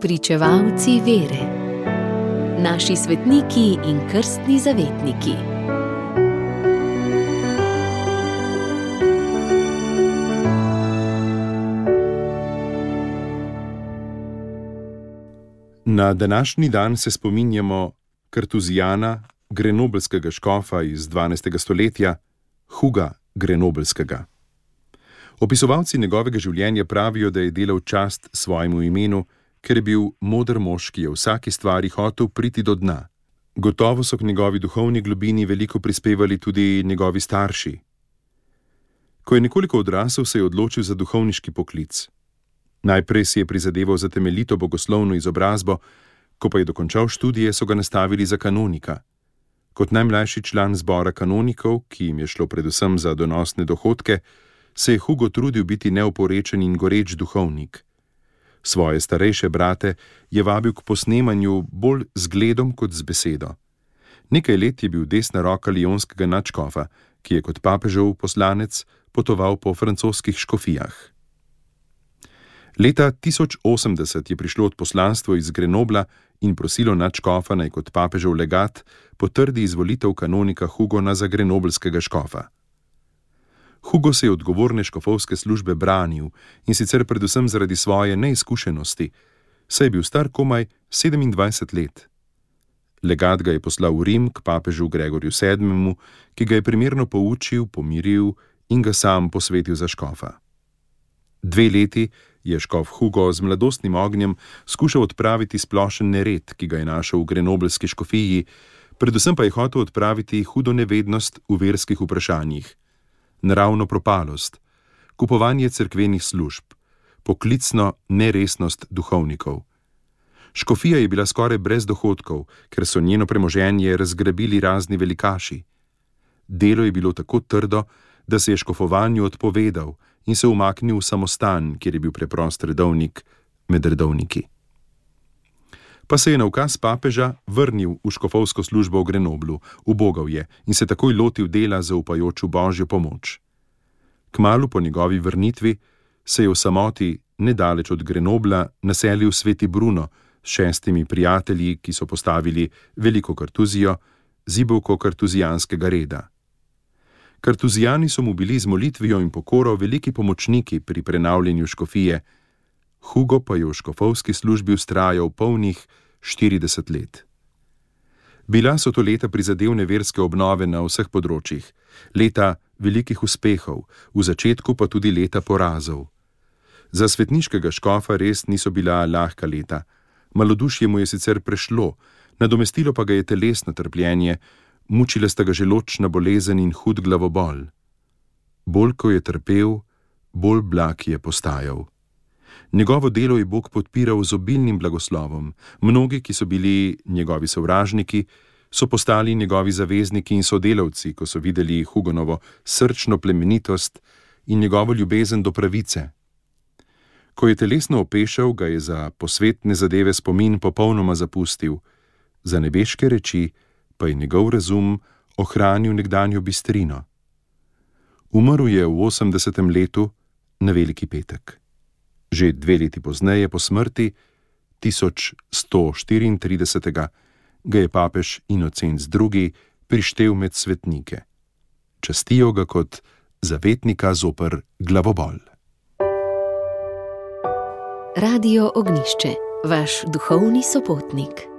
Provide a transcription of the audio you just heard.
Spričevalci vere. Naši svetniki in krstni zavetniki. Na današnji dan se spominjamo Kartuzijana, grenobelskega škofa iz 12. stoletja, Huga Grenobelskega. Opisovalci njegovega življenja pravijo, da je delal čast svojemu imenu, ker je bil moder mož, ki je v vsaki stvari hotel priti do dna. Gotovo so k njegovi duhovni globini veliko prispevali tudi njegovi starši. Ko je nekoliko odrasel, se je odločil za duhovniški poklic. Najprej si je prizadeval za temeljito bogoslovno izobrazbo, ko pa je dokončal študije, so ga nastavili za kanonika. Kot najmlajši član zbora kanonikov, ki jim je šlo predvsem za donosne dohodke, se je Hugo trudil biti neoporečen in goreč duhovnik. Svoje starejše brate je vabil k posnemanju bolj z gledom kot z besedo. Nekaj let je bil desna roka lijonskega nadškofa, ki je kot papežev poslanec potoval po francoskih škofijah. Leta 1080 je prišlo odposlanstvo iz Grenobla in prosilo nadškofa, naj kot papežev legat potrdi izvolitev kanonika Hugona za grenobelskega škofa. Hugo se je odgovorne škofovske službe branil, in sicer predvsem zaradi svoje neizkušenosti, saj je bil star komaj 27 let. Legat ga je poslal v Rim k papežu Gregorju VII., ki ga je primerno poučil, pomiril in ga sam posvetil za škofa. 2 leti je škof Hugo z mladostnim ognjem skušal odpraviti splošen nered, ki ga je našel v grenobelski škofiji, predvsem pa je hotel odpraviti hudo nevednost v verskih vprašanjih, naravno propalost, kupovanje cerkvenih služb, poklicno neresnost duhovnikov. Škofija je bila skoraj brez dohodkov, ker so njeno premoženje razgrabili razni velikaši. Delo je bilo tako trdo, da se je škofovanju odpovedal in se umaknil v samostan, kjer je bil preprost redovnik med redovniki. Pa se je na ukaz papeža vrnil v škofovsko službo v Grenoblu, ubogal je in se takoj lotil dela zaupajoč v Božjo pomoč. Kmalu po njegovi vrnitvi se je v samoti nedaleč od Grenobla naselil sveti Bruno s 6 prijatelji, ki so postavili veliko kartuzijo, zibelko kartuzijanskega reda. Kartuzijani so mu bili z molitvijo in pokoro veliki pomočniki pri prenavljanju škofije, Hugo pa je v škofovski službi vztrajal polnih 40 let. Bila so to leta prizadevne verske obnove na vseh področjih, leta velikih uspehov, v začetku pa tudi leta porazov. Za svetniškega škofa res niso bila lahka leta. Malodušje mu je sicer prešlo, nadomestilo pa ga je telesno trpljenje, mučile sta ga želodčna bolezen in hud glavobol. Bolj ko je trpel, bolj blag je postajal. Njegovo delo je Bog podpiral z obilnim blagoslovom. Mnogi, ki so bili njegovi sovražniki, so postali njegovi zavezniki in sodelavci, ko so videli Hugonovo srčno plemenitost in njegovo ljubezen do pravice. Ko je telesno opešal, ga je za posvetne zadeve spomin popolnoma zapustil, za nebeške reči pa je njegov razum ohranil nekdanjo bistrino. Umrl je v 80. letu na Veliki petek. Že 2 leti pozneje po smrti, 1134. ga je papež Inocenc II. Prištel med svetnike. Častijo ga kot zavetnika zoper glavobol. Radio Ognjišče, vaš duhovni sopotnik.